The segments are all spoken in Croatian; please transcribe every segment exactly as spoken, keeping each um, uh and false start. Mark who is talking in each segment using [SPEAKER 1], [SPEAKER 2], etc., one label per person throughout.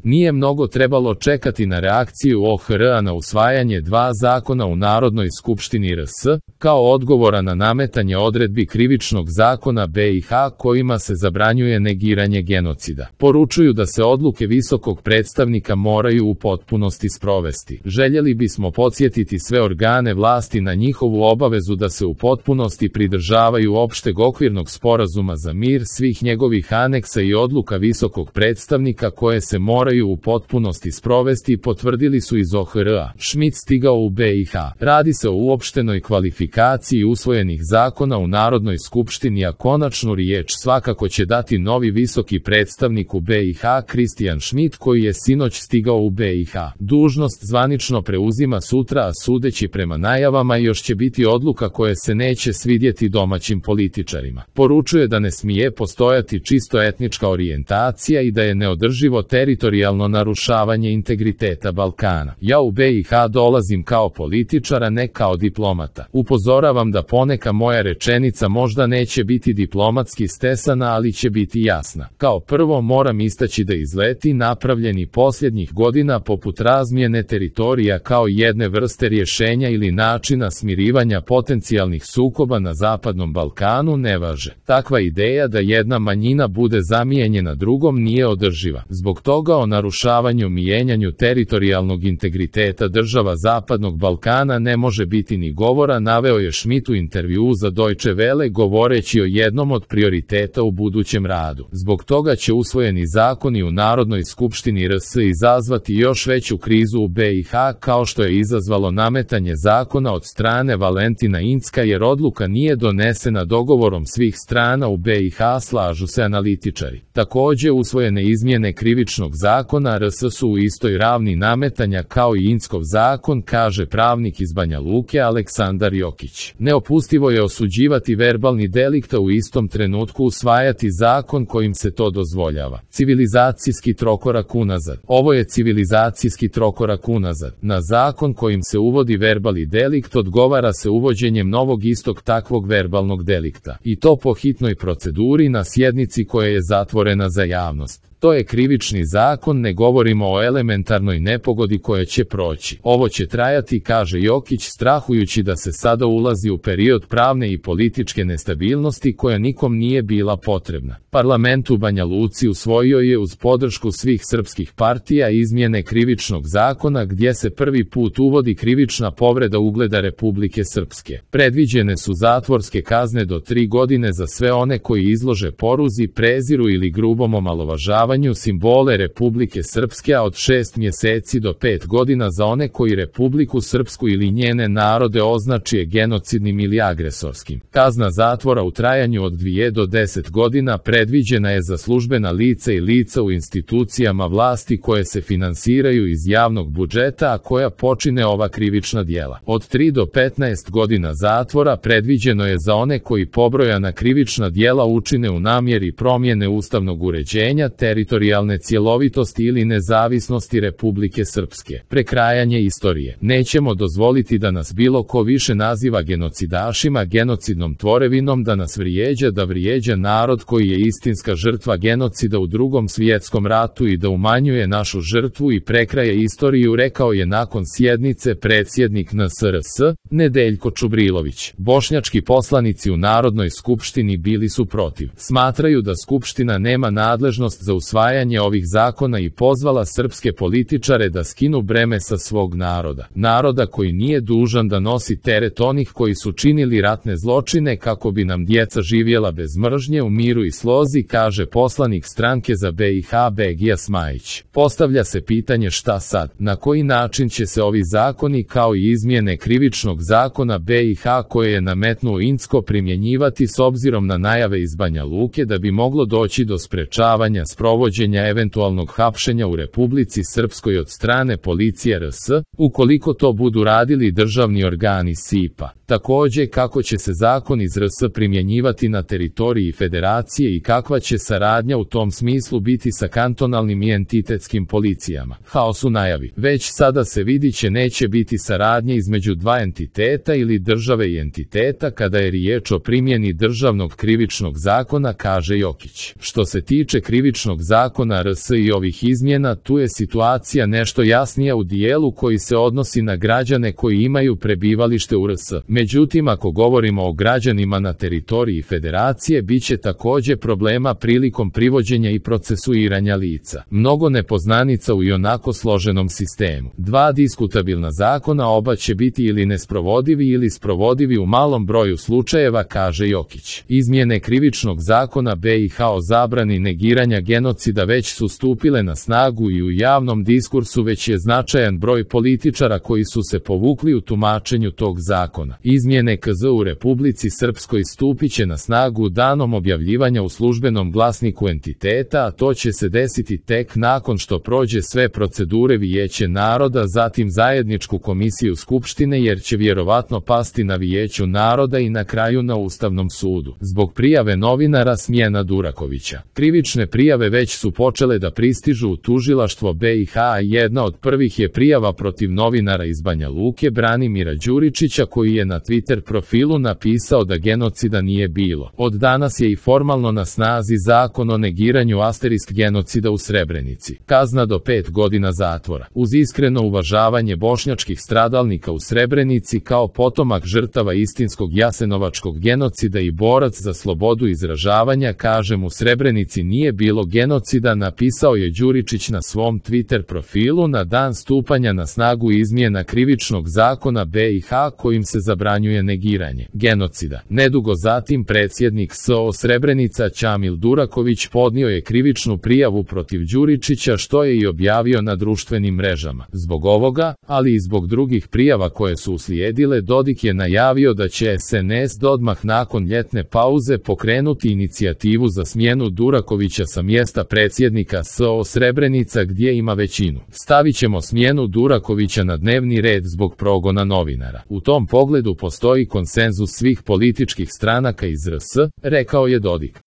[SPEAKER 1] Nije mnogo trebalo čekati na reakciju O H R-a na usvajanje dva zakona u Narodnoj skupštini R S, kao odgovora na nametanje odredbi Krivičnog zakona B i H kojima se zabranjuje negiranje genocida. Poručuju da se odluke visokog predstavnika moraju u potpunosti sprovesti. Željeli bismo podsjetiti sve organe vlasti na njihovu obavezu da se u potpunosti pridržavaju opšteg okvirnog sporazuma za mir, svih njegovih aneksa i odluka visokog predstavnika koje se moraju u potpunosti sprovesti, potvrdili su iz O H R-a. Schmidt stigao u B i H. Radi se o uopštenoj kvalifikaciji usvojenih zakona u Narodnoj skupštini, a konačnu riječ svakako će dati novi visoki predstavnik u B i H Christian Schmidt koji je sinoć stigao u B i H. Dužnost zvanično preuzima sutra, a sudeći prema najavama još će biti odluka koje se neće svidjeti domaćim političarima. Poručuje da ne smije postojati čisto etnička orijentacija i da je neodrživo teritorijalno narušavanje integriteta Balkana. Ja u B i H dolazim kao političar, a ne kao diplomata. Upozoravam da poneka moja rečenica možda neće biti diplomatski stesana, ali će biti jasna. Kao prvo moram istaći da izleti napravljeni posljednjih godina poput razmjene teritorija kao jedne vrste rješenja ili načina smirivanja potencijalnih sukoba na Zapadnom Balkanu ne važe. Takva ideja da jedna manjina bude zamijenjena drugom nije održiva. Zbog toga o narušavanju i mijenjanju teritorijalnog integriteta država Zapadnog Balkana ne može biti ni govora, naveo je Schmidt u intervjuu za Deutsche Welle govoreći o jednom od prioriteta u budućem radu. Zbog toga će usvojeni zakoni u Narodnoj skupštini R S izazvati još veću krizu u B i H kao što je izazvalo nametanje zakona od strane Valentina Incka, jer odluka nije donesena dogovorom svih strana u B i H, slažu se analitičari. Također usvojene izmjene Krivičnog zakona R S su u istoj ravni nametanja kao i Inckov zakon, kaže pravnik iz Banja Luke Aleksandar Jokić. Neopustivo je osuđivati verbalni delikt, a u istom trenutku usvajati zakon kojim se to dozvoljava. Civilizacijski trokorak unazad. Ovo je civilizacijski trokorak unazad. Na zakon kojim se uvodi verbalni delikt odgovara se uvođenjem novog istog takvog verbalnog delikta. I to po hitnoj proceduri na sjednici koja je zatvorena za javnost. To je krivični zakon, ne govorimo o elementarnoj nepogodi koja će proći. Ovo će trajati, kaže Jokić, strahujući da se sada ulazi u period pravne i političke nestabilnosti koja nikom nije bila potrebna. Parlament u Banja Luci usvojio je uz podršku svih srpskih partija izmjene Krivičnog zakona gdje se prvi put uvodi krivična povreda ugleda Republike Srpske. Predviđene su zatvorske kazne do tri godine za sve one koji izlože poruzi, preziru ili grubom omalovažavanju simbole Republike Srpske, a od šest mjeseci do pet godina za one koji Republiku Srpsku ili njene narode označi genocidnim ili agresorskim. Kazna zatvora u trajanju od dvije do deset godina predviđena je za službena lica i lica u institucijama vlasti koje se finansiraju iz javnog budžeta, a koja počine ova krivična djela. Od tri do petnaest godina zatvora predviđeno je za one koji pobrojana krivična djela učine u namjeri promjene ustavnog uređenja, teritorijalne cjelovitosti ili nezavisnosti Republike Srpske. Prekrajanje istorije. Nećemo dozvoliti da nas bilo ko više naziva genocidašima, genocidnom tvorevinom, da nas vrijeđa, da vrijeđa narod koji je istinska žrtva genocida u Drugom svjetskom ratu i da umanjuje našu žrtvu i prekraje istoriju, rekao je nakon sjednice predsjednik N S R S, Nedeljko Čubrilović. Bošnjački poslanici u Narodnoj skupštini bili su protiv. Smatraju da Skupština nema nadležnost za usvajanje ovih zakona i pozvala srpske političare da skinu breme sa svog naroda. Naroda koji nije dužan da nosi teret onih koji su činili ratne zločine kako bi nam djeca živjela bez mržnje, u miru i slozi, kaže poslanik stranke za B i H Begija Smajić. Postavlja se pitanje šta sad, na koji način će se ovi zakoni kao i izmjene Krivičnog zakona B i H koje je nametnuo Incko primjenjivati s obzirom na najave iz Banja Luke da bi moglo doći do sprečavanja sprovođenja eventualnog hapšenja u Republici Srpskoj od strane policije R S, ukoliko to budu radili državni organi S I P A. Također kako će se zakon iz R S primjenjivati na teritoriji federacije i kakva će saradnja u tom smislu biti sa kantonalnim i entitetskim policijama. Haos u najavi. Već sada se vidi će neće biti saradnje između dva entiteta ili države i entiteta kada je riječ o primjeni državnog krivičnog zakona, kaže Jokić. Što se tiče krivičnog zakona R S i ovih izmjena, tu je situacija nešto jasnija u dijelu koji se odnosi na građane koji imaju prebivalište u R S. Međutim, ako govorimo o građanima na teritoriji federacije, bit će također problema prilikom privođenja i procesuiranja lica. Mnogo nepoznanica u ionako složenom sistemu. Dva diskutabilna zakona, oba će biti ili nesprovodivi ili sprovodivi u malom broju slučajeva, kaže Jokić. Izmjene Krivičnog zakona B i H o zabrani negiranja genocida već su stupile na snagu i u javnom diskursu već je značajan broj političara koji su se povukli u tumačenju tog zakona. Izmjene K Z u Republici Srpskoj stupit će na snagu danom objavljivanja u službenom glasniku entiteta, a to će se desiti tek nakon što prođe sve procedure Vijeće naroda, zatim zajedničku komisiju Skupštine, jer će vjerovatno pasti na Vijeću naroda i na kraju na Ustavnom sudu. Zbog prijave novinara Smjena Durakovića. Krivične prijave već su počele da pristižu u tužilaštvo B i H, a jedna od prvih je prijava protiv novinara iz Banja Luke Branimira Đuričića, koji je na Twitter profilu napisao da genocida nije bilo. Od danas je i formalno na snazi zakon o negiranju asterisk genocida u Srebrenici. Kazna do pet godina zatvora. Uz iskreno uvažavanje bošnjačkih stradalnika u Srebrenici kao potomak žrtava istinskog jasenovačkog genocida i borac za slobodu izražavanja, kažem, u Srebrenici nije bilo genocida, napisao je Đuričić na svom Twitter profilu na dan stupanja na snagu izmjena Krivičnog zakona B i H kojim se zabranjuje negiranje genocida. Nedugo zatim predsjednik S O Srebrenica Ćamil Duraković podnio je krivičnu prijavu protiv Đuričića, što je i objavio na društvenim mrežama. Zbog ovoga, ali i zbog drugih prijava koje su uslijedile, Dodik je najavio da će S N S odmah nakon ljetne pauze pokrenuti inicijativu za smjenu Durakovića sa mjesta predsjednika S O Srebrenica gdje ima većinu. Stavit ćemo smjenu Durakovića na dnevni red zbog progona novinara. U tom pogledu postoji konsenzus svih političkih stranaka iz R S, rekao je Dodik.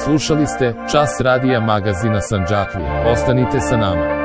[SPEAKER 1] Slušali ste Čas radija magazina Sandžaklija. Ostanite sa nama.